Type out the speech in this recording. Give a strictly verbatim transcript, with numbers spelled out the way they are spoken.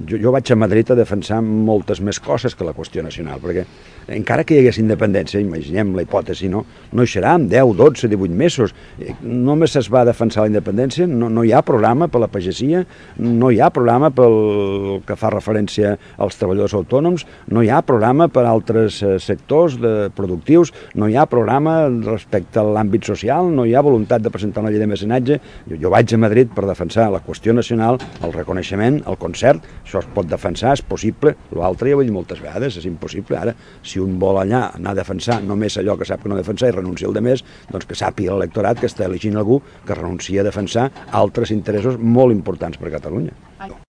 jo, jo vaig a Madrid a defensar moltes més coses que la qüestió nacional, perquè encara que hi hagués independència, imaginem la hipòtesi, no, no hi serà en deu, dotze, divuit mesos. Només es va defensar la independència, no, no hi ha programa per la pagesia, no hi ha programa pel que fa referència als treballadors autònoms, no hi ha programa per a altres sectors de productius, no hi ha programa respecte a l'àmbit social, no hi ha voluntat de presentar una llei de mecenatge. Jo, jo vaig a Madrid per defensar la qüestió nacional, el reconeixement, el concert, això es pot defensar, és possible, l'altre ja ho he dit moltes vegades, és impossible. Ara, si un vol allà anar a defensar només allò que sap que no defensar i renuncia al de més, doncs que sàpiga l'electorat que està elegint algú que renuncia a defensar altres interessos molt importants per a Catalunya.